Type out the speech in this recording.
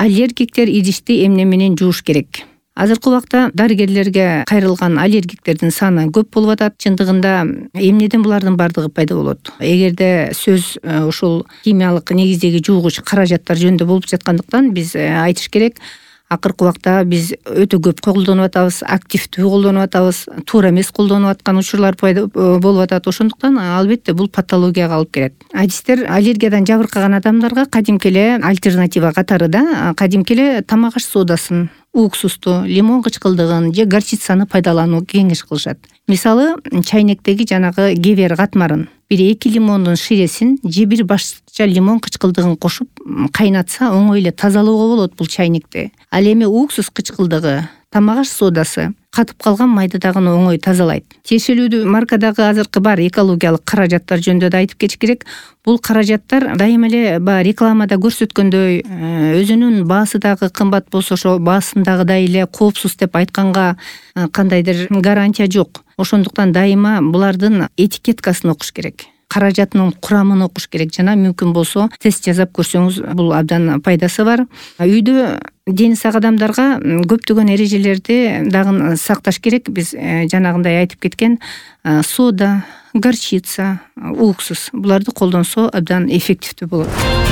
Аллергиктер идишти эмне менен жууш керек? Азыркы убакта дарыгерлерге кайрылган аллергиктердин саны көп болуп атат. Чындыгында эмнеден булардын бардыгы пайда болот? Эгерде сөз ушул химиялык негиздеги жуугуч каражаттар жөнүндө болуп жаткандыктан биз айтыш керек. Акыркы убакта биз өтө көп колдонуп атабыз, активдүү колдонуп атабыз, туура эмес колдонуп аткан учурлар пайда болуп атат. Ошондуктан албетте бул патологияга алып келет. Адистер аллергиядан жабыркаган адамдарга кадимки эле альтернатива катары да кадимки эле тамак аш соодасын, уксусту, лимон кычкылдыгын же горчицаны пайдаланууну кеңеш кылышат. Мисалы, чайнектеги жанагы кебер катмарын 1-2 лимондун ширесин же 1 башча лимон кычкылдыгын кошуп кайнатса оңой эле тазалоого болот бул чайнекти. Ал эми уксус кычкылдыгы, тамак аш соодасы катып калган майды дагы оңой тазалайт. Тиешелүү маркадагы азыркы бар экологиялык каражаттар жөнүндө да айтып кетиш керек. Бул каражаттар дайыма эле рекламада көрсөткөндөй өзүнүн баасы дагы кымбат болсо ошо баасындагыдай эле коопсуз деп айтканга кандайдыр гарантия жок. Ошондуктан дайыма булардын этикеткасын окуш керек. Каражатынын курамын окуш керек жана мүмкүн болсо тест жасап көрсөңүз бул абдан пайдасы бар. Үйдө дени сак адамдарга көптөгөн эрежелерди дагы сакташ керек. Биз жанагындай айтып кеткен соода, горчица, уксус буларды колдонсо абдан эффективдүү болот.